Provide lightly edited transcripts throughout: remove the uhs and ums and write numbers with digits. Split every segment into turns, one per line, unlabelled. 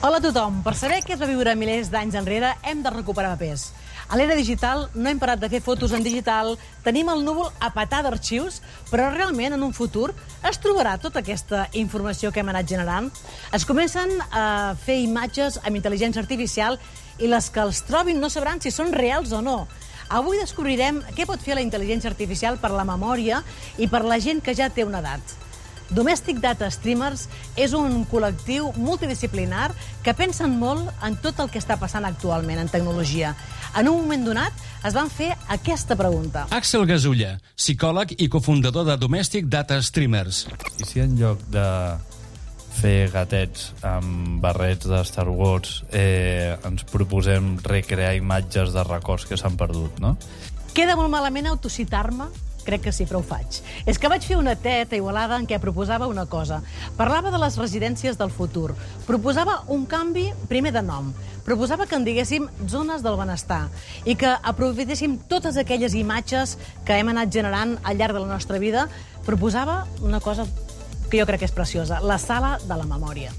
Hola a tothom. Per saber què es va viure milers d'anys enrere, hem de recuperar papers. A l'era digital no hem parat de fer fotos en digital, tenim el núvol a petar d'arxius, però realment en un futur es trobarà tota aquesta informació que hem anat generant. Es comencen a fer imatges amb intel·ligència artificial i les que els trobin no sabran si són reals o no. Avui descobrirem què pot fer la intel·ligència artificial per la memòria i per la gent que ja té una edat. Domestic Data Streamers és un col·lectiu multidisciplinar que pensen molt en tot el que està passant actualment en tecnologia. En un moment donat es van fer aquesta pregunta.
Àxel Gasulla, psicòleg i cofundador de Domestic Data Streamers.
I si en lloc de fer gatets amb barrets de Star Wars ens proposem recrear imatges de records que s'han perdut, no?
Queda molt malament autocitar-me? Crec que sí, però ho faig. És que vaig fer una TED a Igualada en què proposava una cosa. Parlava de les residències del futur. Proposava un canvi, primer de nom. Proposava que en diguéssim zones del benestar i que aprofitéssim totes aquelles imatges que hem anat generant al llarg de la nostra vida. Proposava una cosa que jo crec que és preciosa, la sala de la memòria.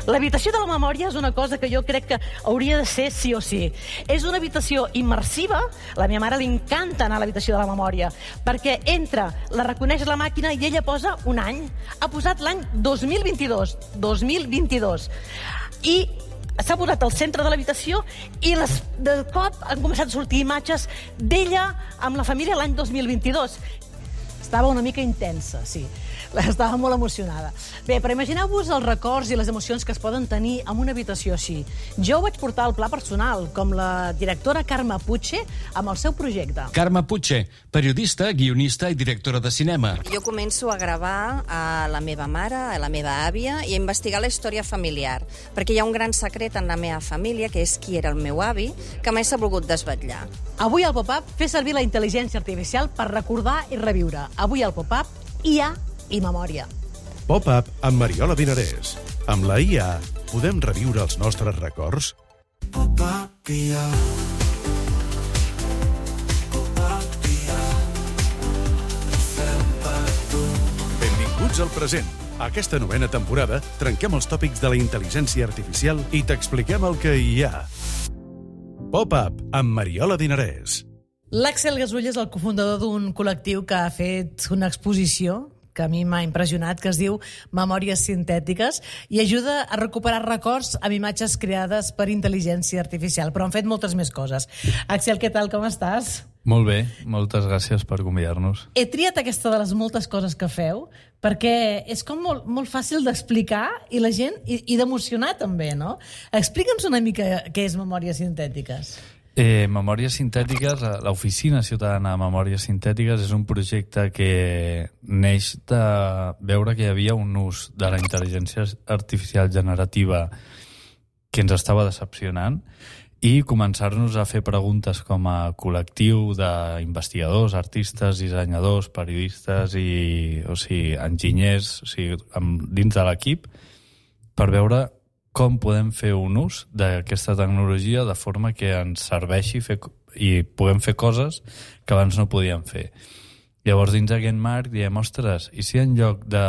L'habitació de la memòria és una cosa que jo crec que hauria de ser sí o sí. És una habitació immersiva. A la meva mare li encanta anar a l'habitació de la memòria perquè entra, la reconeix la màquina i ella posa un any. Ha posat l'any 2022. 2022. I s'ha posat al centre de l'habitació i de cop han començat a sortir imatges d'ella amb la família l'any 2022. Estava una mica intensa, sí. Estava molt emocionada. Bé, però imagineu-vos els records i les emocions que es poden tenir en una habitació així. Jo ho vaig portar al pla personal, com la directora Carme Puche, amb el seu projecte.
Carme Puche, periodista, guionista i directora de cinema.
Jo començo a gravar a la meva mare, a la meva àvia, i a investigar la història familiar, perquè hi ha un gran secret en la meva família, que és qui era el meu avi, que mai s'ha volgut desvetllar.
Avui al Pop-Up fer servir la intel·ligència artificial per recordar i reviure. Avui al Pop-Up, IA i memòria.
Pop-Up amb Mariola Dinarès. Amb la IA podem reviure els nostres records?
Pop-Up IA. Pop-Up IA. Fem per tu.
Benvinguts al present. A aquesta novena temporada trenquem els tòpics de la intel·ligència artificial i t'expliquem el que hi ha. Pop-Up amb Mariola Dinarès.
L'Àxel Gasulla és el cofundador d'un col·lectiu que ha fet una exposició que a mi m'ha impressionat, que es diu Memòries Sintètiques, i ajuda a recuperar records amb imatges creades per intel·ligència artificial. Però han fet moltes més coses. Àxel, què tal, com estàs?
Molt bé, moltes gràcies per convidar-nos.
He triat aquesta de les moltes coses que feu perquè és com molt fàcil d'explicar i la gent i d'emocionar també, no? Explica'ns una mica què és Memòries Sintètiques.
Memòries Sintètiques, l'Oficina Ciutadana de Memòries Sintètiques és un projecte que neix de veure que hi havia un ús de la intel·ligència artificial generativa que ens estava decepcionant i començar-nos a fer preguntes com a col·lectiu d'investigadors, artistes, dissenyadors, periodistes i enginyers, dins de l'equip, per veure com podem fer un ús d'aquesta tecnologia de forma que ens serveixi i puguem fer coses que abans no podíem fer. Llavors, dins d'aquest marc, diem, ostres, i si en lloc de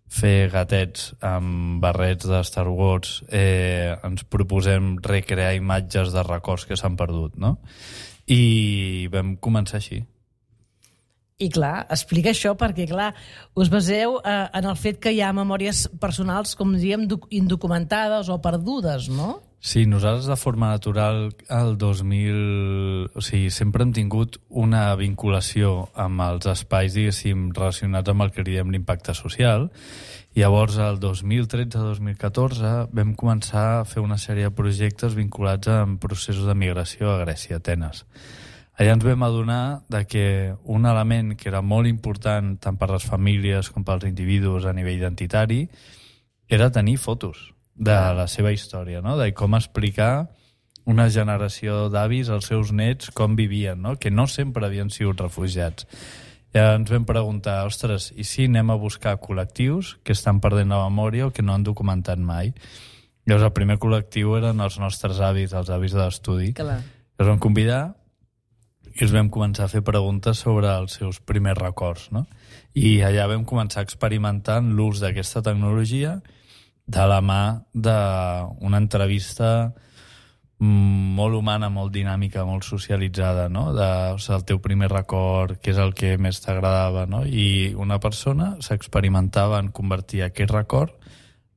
fer gatets amb barrets de Star Wars ens proposem recrear imatges de records que s'han perdut, no? I vam començar així.
I clar, explica això perquè, clar, us baseu en el fet que hi ha memòries personals, com diem, indocumentades o perdudes, no?
Sí, nosaltres de forma natural al 2000... O sigui, sempre hem tingut una vinculació amb els espais, diguéssim, relacionats amb el que diem l'impacte social. Llavors, el 2013-2014 vam començar a fer una sèrie de projectes vinculats amb processos de migració a Grècia, a Atenes. Allà ens vam adonar que un element que era molt important tant per les famílies com pels individus a nivell identitari era tenir fotos de la seva història, no? De com explicar una generació d'avis als seus nets com vivien, no? Que no sempre havien sigut refugiats. I ens vam preguntar, ostres, i si anem a buscar col·lectius que estan perdent la memòria o que no han documentat mai? Llavors el primer col·lectiu eren els nostres avis, els avis de l'estudi. Els vam convidar i els vam començar a fer preguntes sobre els seus primers records, no? I allà vam començar a experimentar l'ús d'aquesta tecnologia de la mà d'una entrevista molt humana, molt dinàmica, molt socialitzada, no? El teu primer record, què és el que més t'agradava, no? I una persona s'experimentava en convertir aquest record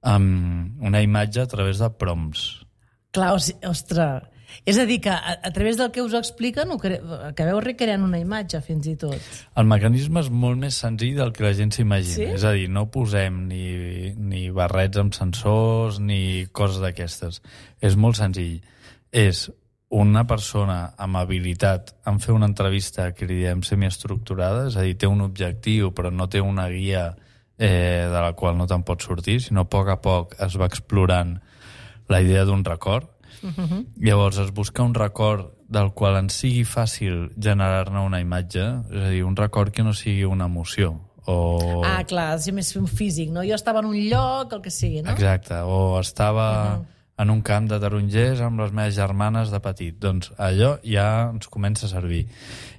en una imatge a través de prompts.
Clar, ostres, és a dir, que a través del que us expliquen acabeu recreant una imatge, fins i tot.
El mecanisme és molt més senzill del que la gent s'imagina.
Sí?
És a dir, no posem ni barrets amb sensors ni coses d'aquestes. És molt senzill. És una persona amb habilitat en fer una entrevista que li diem semiestructurada, és a dir, té un objectiu però no té una guia de la qual no te'n pots sortir, sinó a poc es va explorant la idea d'un record. Llavors es busca un record del qual ens sigui fàcil generar-ne una imatge, és a dir, un record que no sigui una emoció.
Ah, clar, si més un físic, no? Jo estava en un lloc, el que sigui, no?
Exacte, o estava en un camp de tarongers amb les meves germanes de petit. Doncs allò ja ens comença a servir.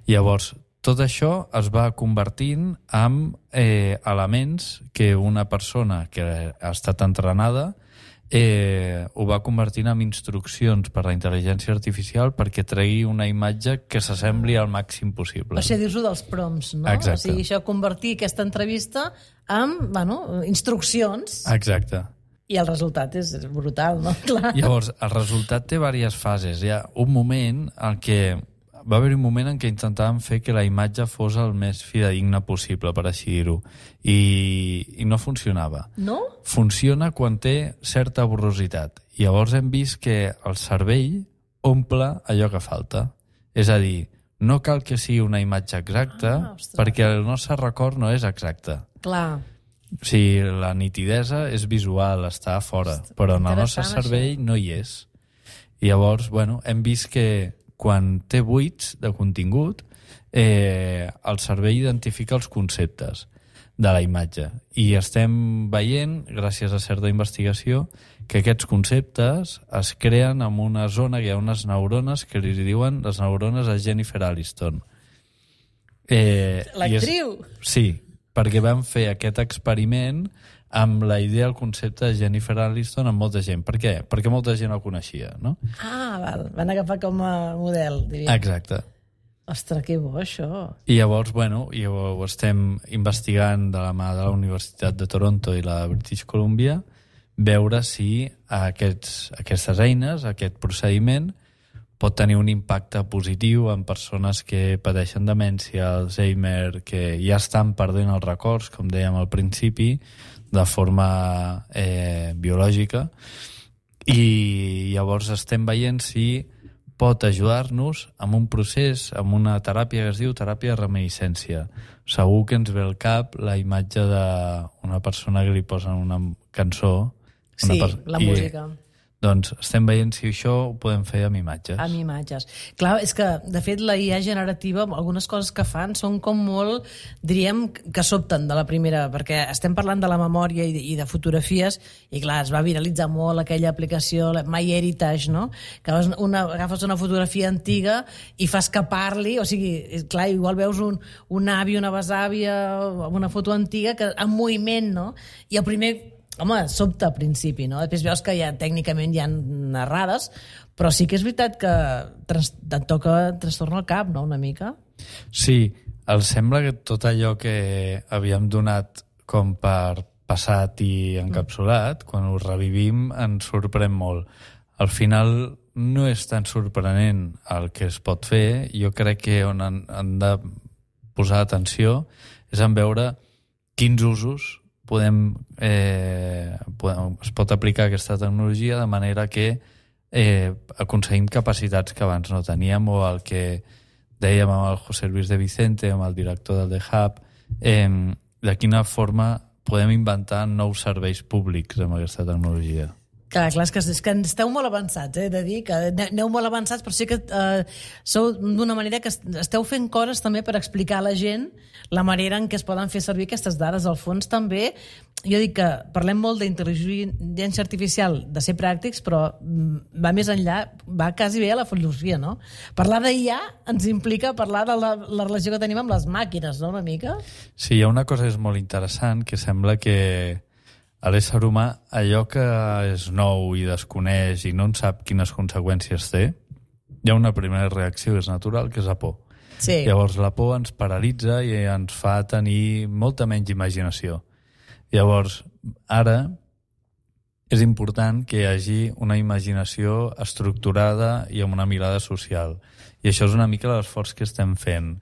Llavors, tot això es va convertint en elements que una persona que ha estat entrenada ho va convertint en instruccions per la intel·ligència artificial perquè tregui una imatge que s'assembli al màxim possible.
O sigui, dir-ho dels prompts, no?
Exacte.
O sigui, això, convertir aquesta entrevista en, instruccions.
Exacte.
I el resultat és brutal, no? Clar.
Llavors, el resultat té diverses fases. Hi ha un moment en què va haver un moment en què intentàvem fer que la imatge fos el més fidedigna possible, per així dir-ho, i no funcionava.
No?
Funciona quan té certa borrositat. Llavors hem vist que el cervell omple allò que falta. És a dir, no cal que sigui una imatge exacta, perquè el nostre record no és exacte.
Clar.
O sigui, la nitidesa és visual, està a fora, però en el nostre cervell no hi és. I llavors, hem vist que quan té buits de contingut, el cervell identifica els conceptes de la imatge. I estem veient, gràcies a certa investigació, que aquests conceptes es creen en una zona, que hi ha unes neurones que li diuen les neurones a Jennifer Aniston.
L'actriu?
Sí, perquè vam fer aquest experiment amb la idea, el concepte de Jennifer Aniston amb molta gent. Per què? Perquè molta gent el coneixia, no?
Ah, val. Van agafar com a model, diríem.
Exacte.
Ostres, que bo, això.
I llavors, i ho estem investigant de la mà de la Universitat de Toronto i la British Columbia, veure si aquestes eines, aquest procediment, pot tenir un impacte positiu en persones que pateixen demència, Alzheimer, que ja estan perdent els records, com dèiem al principi, de forma biològica, i llavors estem veient si pot ajudar-nos amb un procés, amb una teràpia que es diu teràpia de reminiscència. Segur que ens ve al cap la imatge d'una persona que li posen una cançó.
Sí, la música.
Doncs estem veient si això ho podem fer amb imatges.
Amb imatges. Clar, és que, de fet, la IA generativa, algunes coses que fan són com molt, diríem, que sobten de la primera, perquè estem parlant de la memòria i de fotografies, i clar, es va viralitzar molt aquella aplicació, MyHeritage, no? Que agafes una fotografia antiga i fas que parli, o sigui, clar, igual veus un avi, una besàvia, una foto antiga, que en moviment, no? I el primer... Home, sobta al principi, no? Després veus que ja tècnicament hi ha narrades, però sí que és veritat que et toca trastorna el cap, no?, una mica.
Sí, els sembla que tot allò que havíem donat com per passat i encapsulat, quan ho revivim ens sorprèn molt. Al final no és tan sorprenent el que es pot fer. Jo crec que on han de posar atenció és en veure quins usos es pot aplicar aquesta tecnologia de manera que aconseguim capacitats que abans no teníem, o el que dèiem amb el José Luis de Vicente, amb el director del The Hub, de quina forma podem inventar nous serveis públics amb aquesta tecnologia.
Clar, és que esteu molt avançats, he de dir, que aneu molt avançats, però sí que sou d'una manera que esteu fent coses també per explicar a la gent la manera en què es poden fer servir aquestes dades. Al fons també, jo dic que parlem molt d'intel·ligència artificial, de ser pràctics, però va més enllà, va quasi bé a la filosofia, no? Parlar d'IA ens implica parlar de la relació que tenim amb les màquines, no?, una mica?
Sí, hi ha una cosa que és molt interessant, que sembla que a l'ésser humà, allò que és nou i desconeix i no en sap quines conseqüències té, hi ha una primera reacció, és natural, que és la por.
Sí.
Llavors la por ens paralitza i ens fa tenir molta menys imaginació. Llavors, ara és important que hi hagi una imaginació estructurada i amb una mirada social. I això és una mica l'esforç que estem fent.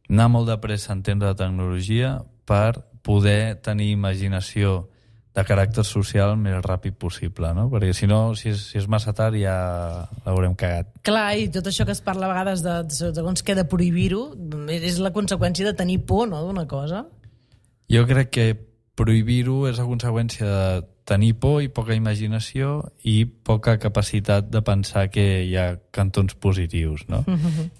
Anar molt de pressa a entendre la tecnologia per poder tenir imaginació de caràcter social el més ràpid possible, no? Perquè si no, si és massa tard ja l'haurem cagat.
Clar, i tot això que es parla a vegades de segons què de prohibir-ho és la conseqüència de tenir por, no?, d'una cosa.
Jo crec que prohibir-ho és la conseqüència de tenir por i poca imaginació i poca capacitat de pensar que hi ha cantons positius, no?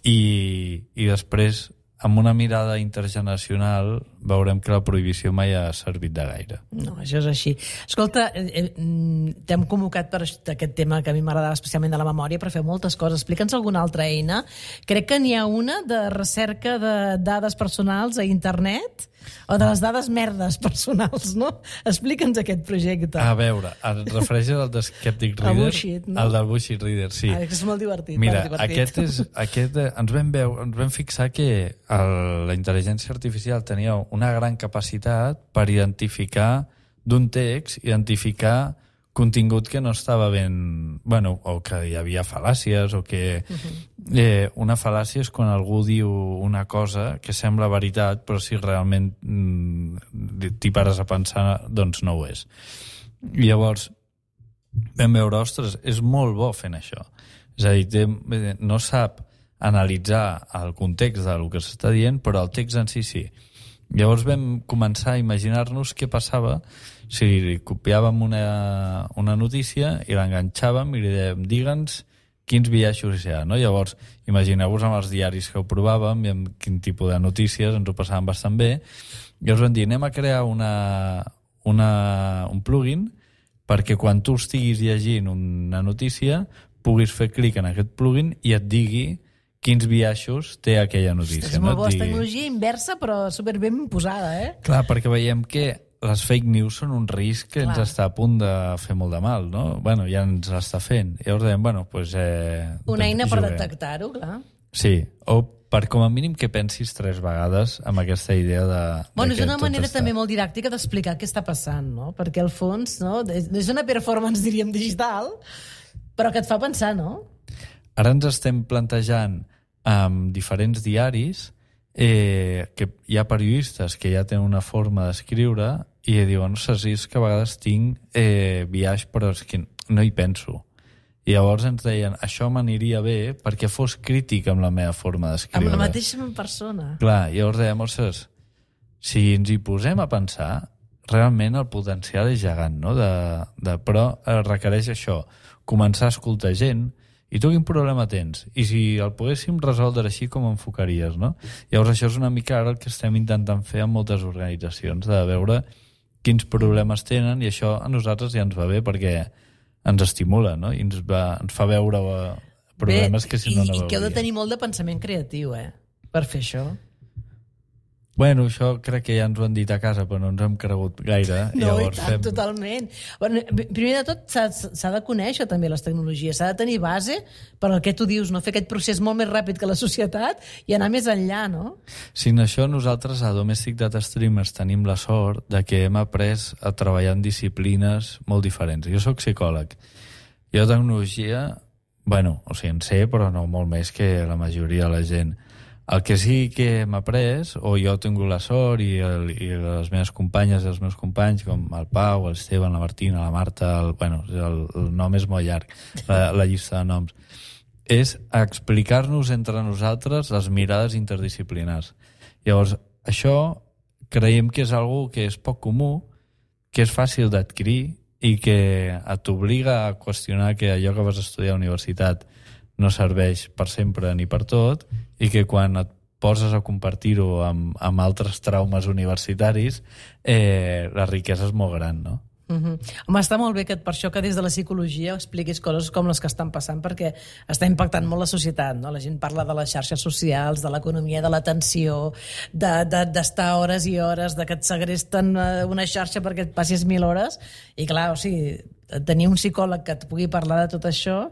I després, amb una mirada intergeneracional, veurem que la prohibició mai ha servit de gaire.
No, això és així. Escolta, t'hem convocat per aquest tema que a mi m'agradava especialment de la memòria, per fer moltes coses. Explica'ns alguna altra eina. Crec que n'hi ha una de recerca de dades personals a internet, o de les dades merdes personals, no? Explica'ns aquest projecte.
A veure, et refereixes al de Skeptic Reader?
El Bullshit, no?
El del Bullshit Reader, sí.
Que és molt divertit.
Mira,
divertit.
ens vam fixar que la intel·ligència artificial tenia una gran capacitat per identificar d'un text, identificar contingut que no estava ben... Bueno, o que hi havia fal·làcies, o que... una fal·làcia és quan algú diu una cosa que sembla veritat, però si realment t'hi pares a pensar, doncs no ho és. I llavors vam veure, ostres, és molt bo fent això. És a dir, no sap analitzar el context del que s'està dient, però el text en si sí. Llavors vam començar a imaginar-nos què passava si copiàvem una notícia i l'enganxàvem i li dèiem, digue'ns quins biaixos hi ha, no? Llavors, imagineu-vos amb els diaris que ho provàvem i amb quin tipus de notícies ens ho passàvem bastant bé. Llavors vam dir, anem a crear un plugin perquè quan tu estiguis llegint una notícia puguis fer clic en aquest plugin i et digui quins biaixos té aquella notícia.
És molt bo, és tecnologia inversa, però superben posada, eh?
Clar, perquè veiem que les fake news són un risc que ens està a punt de fer molt de mal, no? Bueno, ja ens l'està fent. I llavors dèiem, bueno, doncs...
Una eina per detectar-ho, clar.
Sí, o per com a mínim que pensis 3 vegades amb aquesta idea de...
Bueno, és una manera també molt didàctica d'explicar què està passant, no? Perquè al fons, no? És una performance, diríem, digital, però que et fa pensar, no?
Ara ens estem plantejant amb diferents diaris que hi ha periodistes que ja tenen una forma d'escriure i diuen, no sé si és que a vegades tinc biaix, però és que no hi penso. I llavors ens deien, això m'aniria bé perquè fos crític amb la meva forma d'escriure.
Amb la mateixa persona.
Clar, llavors dèiem, ostres, si ens hi posem a pensar, realment el potencial és gegant, no? Però requereix això, començar a escoltar gent. I tu quin problema tens? I si el poguéssim resoldre així, com enfocaries, no? Llavors això és una mica ara el que estem intentant fer amb moltes organitzacions, de veure quins problemes tenen, i això a nosaltres ja ens va bé perquè ens estimula, no? I ens fa veure problemes que si no veuríem.
I que heu de tenir molt de pensament creatiu, per fer això.
Bueno, això crec que ja ens ho han dit a casa, però no ens hem cregut gaire.
No, llavors, i tant, totalment. Bueno, primer de tot, s'ha de conèixer també les tecnologies, s'ha de tenir base per al que tu dius, no? Fer aquest procés molt més ràpid que la societat i anar més enllà, no?
Sí, en això nosaltres a Domestic Data Streamers tenim la sort de que hem après a treballar en disciplines molt diferents. Jo sóc psicòleg. Jo tecnologia, bueno, o sigui, en sé, però no molt més que la majoria de la gent. El que sí que hem après, o jo he tingut la sort, i les meves companyes i els meus companys, com el Pau, l'Esteban, la Martina, la Marta, el nom és molt llarg, la llista de noms, és explicar-nos entre nosaltres les mirades interdisciplinars. Llavors, això creiem que és algo que és poc comú, que és fàcil d'adquirir i que t'obliga a qüestionar que allò que vas estudiar a la universitat no serveix per sempre ni per tot, i que quan et poses a compartir-ho amb altres traumes universitaris, la riquesa és molt gran, no?
Home, està molt bé per això que des de la psicologia expliquis coses com les que estan passant, perquè està impactant molt la societat, no? La gent parla de les xarxes socials, de l'economia de l'atenció, d'estar hores i hores, de que et segresten una xarxa perquè et passis 1.000 hores, i clar, o sigui, tenir un psicòleg que et pugui parlar de tot això,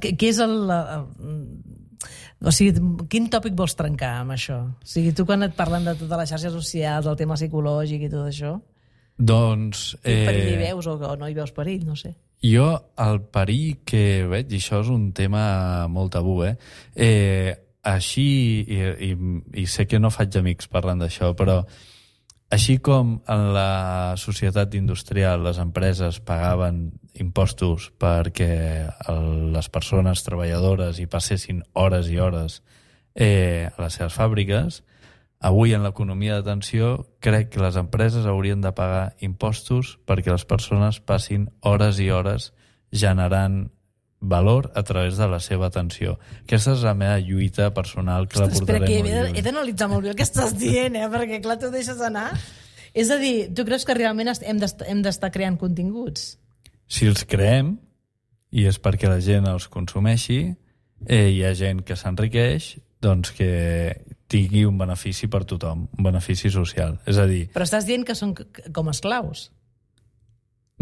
què és o sigui, quin tòpic vols trencar amb això? O sigui, tu quan et parlen de totes les xarxes socials, el tema psicològic i tot això,
doncs...
quin perill hi veus o no hi veus perill, no sé.
Jo el perill que veig, i això és un tema molt tabú, així, i sé que no faig amics parlant d'això, però així com en la societat industrial les empreses pagaven impostos perquè les persones treballadores hi passessin hores i hores a les seves fàbriques, avui en l'economia d'atenció crec que les empreses haurien de pagar impostos perquè les persones passin hores i hores generant valor a través de la seva atenció. Aquesta és la meva lluita personal que la portaré
molt
lluny.
He d'analitzar molt bé el que estàs dient, perquè clar, tu deixes anar. És a dir, tu creus que realment hem d'estar creant continguts?
Si els creem, i és perquè la gent els consumeixi, hi ha gent que s'enriqueix, doncs que tingui un benefici per tothom, un benefici social. És a dir...
Però estàs dient que són com esclaus?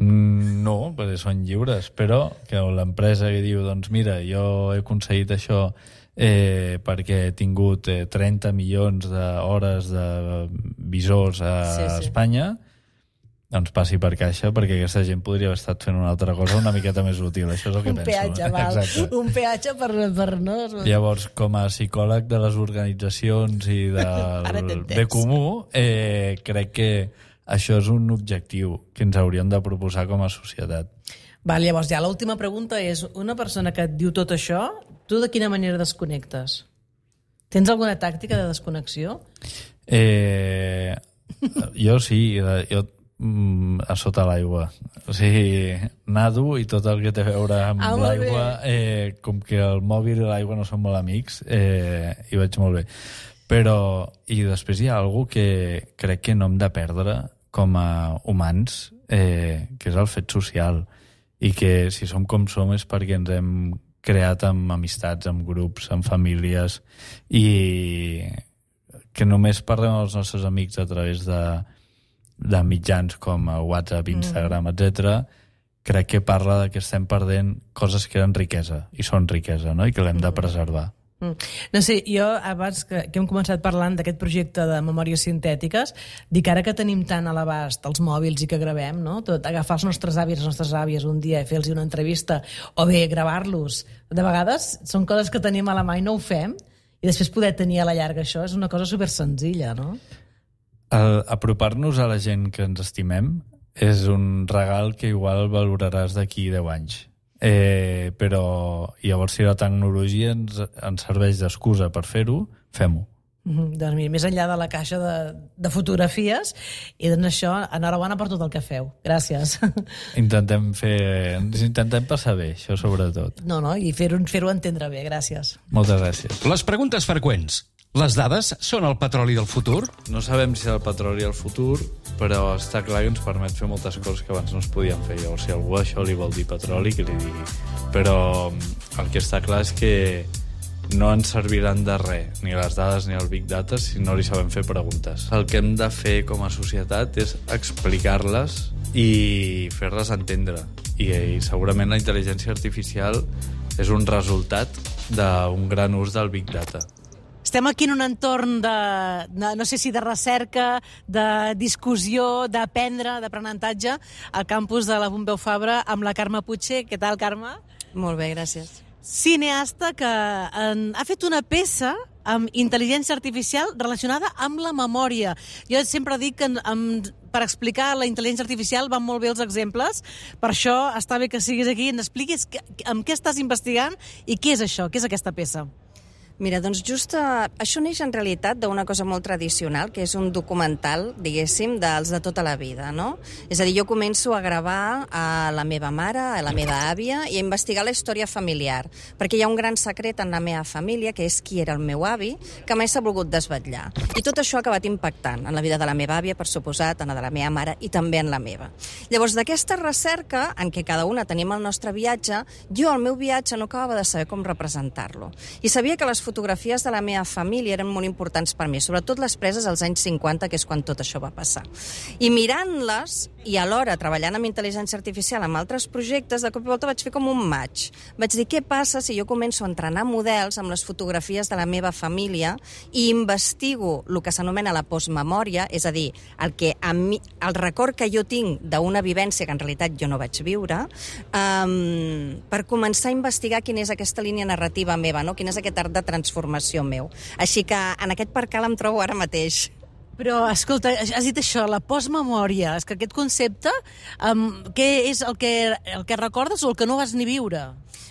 No, perquè són lliures, però que l'empresa que diu, doncs mira, jo he aconseguit això perquè he tingut 30 milions d'hores de visors a Espanya, doncs passi per caixa, perquè aquesta gent podria haver estat fent una altra cosa una miqueta més útil. Això és el que penso.
Peatge, val.
Exacte.
Un peatge per no...
Llavors, com a psicòleg de les organitzacions i del bé comú, crec que això és un objectiu que ens hauríem de proposar com a societat.
Val, llavors, ja l'última pregunta és, una persona que et diu tot això, tu de quina manera desconnectes? Tens alguna tàctica de desconnexió?
Jo sí, jo a sota l'aigua. O sigui, nado i tot el que té a veure amb l'aigua, com que el mòbil i l'aigua no són molt amics, hi vaig molt bé. Però, i després hi ha alguna que crec que no hem de perdre com a humans, que és el fet social. I que si som com som és perquè ens hem creat amb amistats, amb grups, amb famílies, i que només parlem amb els nostres amics a través de mitjans com WhatsApp, Instagram, etc. Crec que parla que estem perdent coses que eren riquesa, i són riquesa, no? I que l'hem de preservar.
No sé, jo abans que hem començat parlant d'aquest projecte de memòries sintètiques, dic ara que tenim tant a l'abast els mòbils i que gravem, no? Tot, agafar els nostres avis, les nostres àvies un dia i fer-los una entrevista, o bé gravar-los, de vegades són coses que tenim a la mà i no ho fem, i després poder tenir a la llarga això és una cosa supersenzilla, no?
Apropar-nos a la gent que ens estimem és un regal que igual valoraràs d'aquí 10 anys. Però llavors si la tecnologia ens serveix d'excusa per fer-ho, fem-ho.
Doncs mira, més enllà de la caixa de fotografies, i doncs això, enhorabona per tot el que feu. Gràcies.
Intentem passar bé, això sobretot.
No, i fer-ho entendre bé. Gràcies.
Moltes gràcies.
Les preguntes freqüents. Les dades són el petroli del futur?
No sabem si és el petroli el futur, però està clar que ens permet fer moltes coses que abans no es podien fer. Llavors, si algú això li vol dir petroli, que li digui. Però el que està clar és que no ens serviran de res, ni les dades ni el Big Data, si no li sabem fer preguntes. El que hem de fer com a societat és explicar-les i fer-les entendre. I segurament la intel·ligència artificial és un resultat d'un gran ús del Big Data.
Estem aquí en un entorn no sé si de recerca, de discussió, d'aprendre, d'aprenentatge, al campus de la Pompeu Fabra amb la Carme Puigcer. Què tal, Carme?
Molt bé, gràcies.
Cineasta que ha fet una peça amb intel·ligència artificial relacionada amb la memòria. Jo sempre dic que per explicar la intel·ligència artificial van molt bé els exemples, per això està bé que siguis aquí i ens expliquis amb què estàs investigant i què és això, què és aquesta peça.
Mira, doncs just això neix en realitat d'una cosa molt tradicional, que és un documental, diguéssim, dels de tota la vida, no? És a dir, jo començo a gravar a la meva mare, a la meva àvia, i a investigar la història familiar, perquè hi ha un gran secret en la meva família, que és qui era el meu avi, que mai s'ha volgut desvetllar. I tot això ha acabat impactant en la vida de la meva àvia, per suposat, en la de la meva mare i també en la meva. Llavors, d'aquesta recerca, en què cada una tenim el nostre viatge, jo al meu viatge no acabava de saber com representar-lo. I sabia que les fotografies de la meva família eren molt importants per mi, sobretot les preses als anys 50, que és quan tot això va passar. I mirant-les, i alhora treballant amb intel·ligència artificial amb altres projectes, de cop i volta vaig fer com un match. Vaig dir, què passa si jo començo a entrenar models amb les fotografies de la meva família i investigo el que s'anomena la postmemòria, és a dir, el record que jo tinc d'una vivència que en realitat jo no vaig viure, per començar a investigar quina és aquesta línia narrativa meva, no? Quin és aquest art de transformació meu. Així que en aquest percal em trobo ara mateix.
Però, escolta, has dit això, la postmemòria. És que aquest concepte, què és el que recordes o el que no vas ni viure?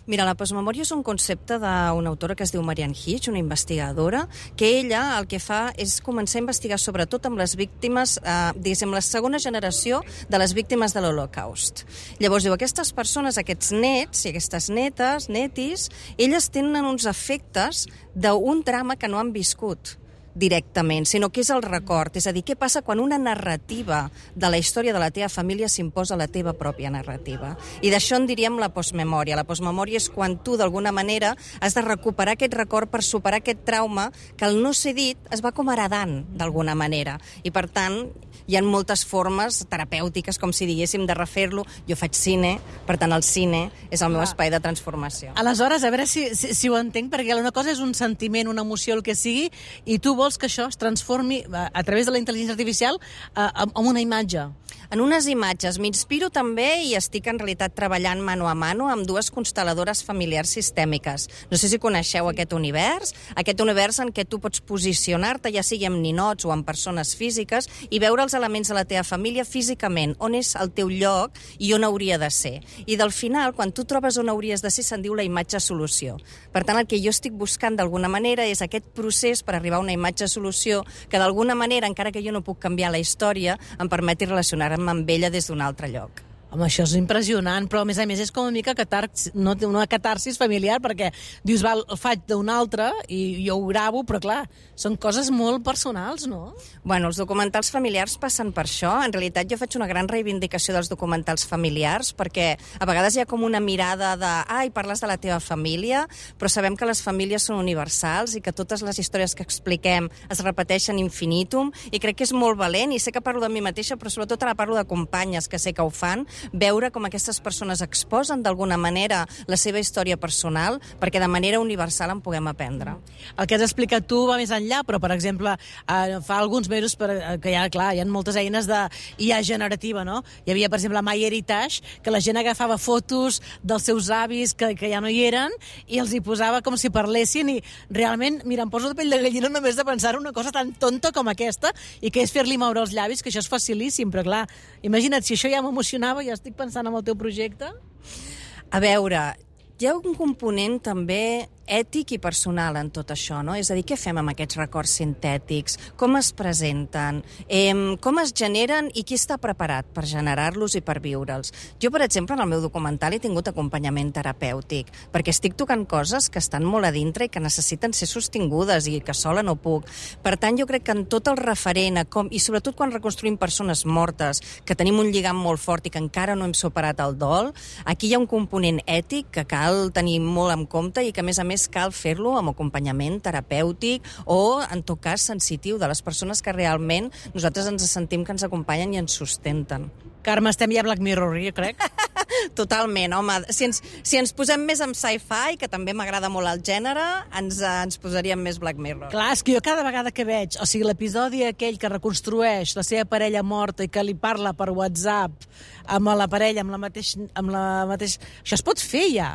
Mira, la postmemòria és un concepte d'una autora que es diu Marianne Hitch, una investigadora, que ella el que fa és començar a investigar sobretot amb les víctimes, diguéssim, la segona generació de les víctimes de l'Holocaust. Llavors, diu, aquestes persones, aquests nets i aquestes netis, elles tenen uns efectes d'un drama que no han viscut directament, sinó que és el record. És a dir, què passa quan una narrativa de la història de la teva família s'imposa a la teva pròpia narrativa. I d'això en diríem la postmemòria. La postmemòria és quan tu, d'alguna manera, has de recuperar aquest record per superar aquest trauma que el no ser dit es va com heredant, d'alguna manera. I, per tant, hi ha moltes formes terapèutiques, com si diguéssim, de refer-lo. Jo faig cine, per tant, el cine és el meu espai de transformació.
Aleshores, a veure si ho entenc, perquè una cosa és un sentiment, una emoció, el que sigui, i tu vols que això es transformi a través de la intel·ligència artificial en una imatge.
En unes imatges. M'inspiro també i estic en realitat treballant mano a mano amb dues constel·ladores familiars sistèmiques. No sé si coneixeu aquest univers en què tu pots posicionar-te, ja sigui amb ninots o amb persones físiques, i veure els elements de la teva família físicament, on és el teu lloc i on hauria de ser. I del final, quan tu trobes on hauries de ser, se'n diu la imatge solució. Per tant, el que jo estic buscant d'alguna manera és aquest procés per arribar a una imatge solució que d'alguna manera, encara que jo no puc canviar la història, em permeti relacionar-me amb ella des d'un altre lloc.
Home, això és impressionant, però a més és com una mica una catarsis familiar, perquè dius, val, el faig d'un altre i jo ho gravo, però clar, són coses molt personals, no?
Bueno, els documentals familiars passen per això. En realitat jo faig una gran reivindicació dels documentals familiars, perquè a vegades hi ha com una mirada de parles de la teva família, però sabem que les famílies són universals i que totes les històries que expliquem es repeteixen infinitum, i crec que és molt valent, i sé que parlo de mi mateixa, però sobretot ara parlo de companyes que sé que ho fan, veure com aquestes persones exposen d'alguna manera la seva història personal perquè de manera universal en puguem aprendre.
El que has explicat tu va més enllà, però, per exemple, fa alguns mesos que hi ha moltes eines de IA generativa, no? Hi havia, per exemple, MyHeritage, que la gent agafava fotos dels seus avis que ja no hi eren i els hi posava com si parlessin, i realment, mira, em poso de pell de gallina només de pensar una cosa tan tonta com aquesta, i que és fer-li moure els llavis, que això és facilíssim, però clar, imagina't, si això ja m'emocionava, ja estic pensant en el teu projecte.
A veure, hi ha un component també ètic i personal en tot això, no? És a dir, què fem amb aquests records sintètics? Com es presenten? Com es generen i qui està preparat per generar-los i per viure'ls? Jo, per exemple, en el meu documental he tingut acompanyament terapèutic, perquè estic tocant coses que estan molt a dintre i que necessiten ser sostingudes i que sola no puc. Per tant, jo crec que en tot el referent, i sobretot quan reconstruïm persones mortes, que tenim un lligam molt fort i que encara no hem superat el dol, aquí hi ha un component ètic que cal tenir molt en compte i que, a més, cal fer-lo amb acompanyament terapèutic o, en tot cas, sensitiu de les persones que realment nosaltres ens sentim que ens acompanyen i ens sustenten.
Carme, estem ja a Black Mirror, jo crec.
Totalment, home. Si ens posem més en sci-fi, que també m'agrada molt el gènere, ens posaríem més Black Mirror.
Clar, és que jo cada vegada que veig, o sigui, l'episodi aquell que reconstrueix la seva parella morta i que li parla per WhatsApp amb la parella, amb la mateixa... Això es pot fer ja.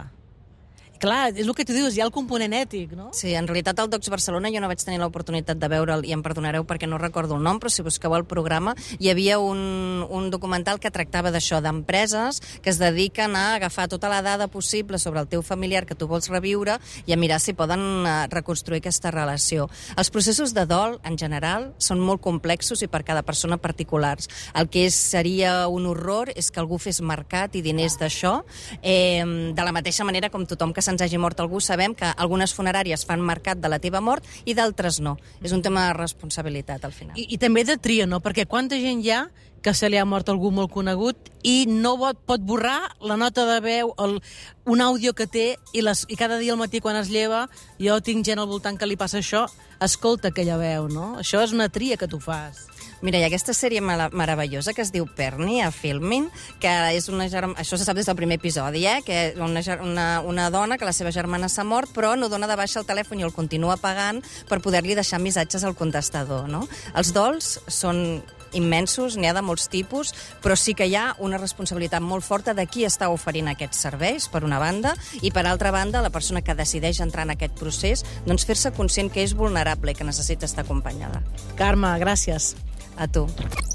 Clar, és el que tu dius, hi ha el component ètic, no?
Sí, en realitat al Docs Barcelona jo no vaig tenir l'oportunitat de veure'l, i em perdonareu perquè no recordo el nom, però si busqueu el programa, hi havia un documental que tractava d'això, d'empreses que es dediquen a agafar tota la dada possible sobre el teu familiar que tu vols reviure i a mirar si poden reconstruir aquesta relació. Els processos de dol, en general, són molt complexos i per cada persona particulars. El que seria un horror és que algú fes mercat i diners d'això, de la mateixa manera com tothom que se'ns hagi mort algú, sabem que algunes funeràries fan mercat de la teva mort i d'altres no. És un tema de responsabilitat, al final.
I també de tria, no? Perquè quanta gent hi ha que se li ha mort algú molt conegut i no pot borrar la nota de veu, un àudio que té, i cada dia al matí quan es lleva, jo tinc gent al voltant que li passa això, escolta aquella veu, no? Això és una tria que tu fas.
Mira, hi ha aquesta sèrie meravellosa que es diu Perni, a Filmin, que és això se sap des del primer episodi, que és una dona que la seva germana s'ha mort, però no dona de baixa el telèfon i el continua pagant per poder-li deixar missatges al contestador, no? Els dols són immensos, n'hi ha de molts tipus, però sí que hi ha una responsabilitat molt forta de qui està oferint aquests serveis, per una banda, i per altra banda, la persona que decideix entrar en aquest procés, doncs fer-se conscient que és vulnerable i que necessita estar acompanyada.
Carme, gràcies.
A tu.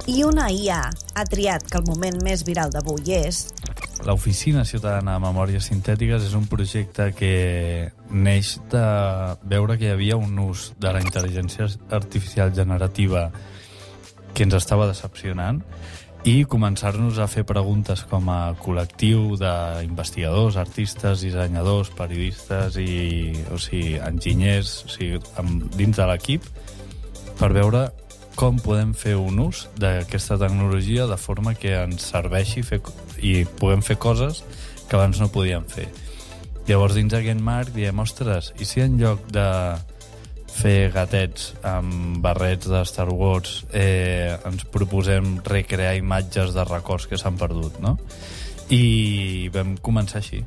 I una IA ha triat que el moment més viral d'avui és...
L'Oficina Ciutadana de Memòries Sintètiques és un projecte que neix de veure que hi havia un ús de la intel·ligència artificial generativa que ens estava decepcionant i començar-nos a fer preguntes com a col·lectiu d'investigadors, artistes, dissenyadors, periodistes i enginyers, dins de l'equip, per veure com podem fer un ús d'aquesta tecnologia de forma que ens serveixi i puguem fer coses que abans no podíem fer. Llavors, dins d'aquest marc, diem, ostres, i si en lloc de fer gatets amb barrets de Star Wars ens proposem recrear imatges de records que s'han perdut, no? I vam començar així.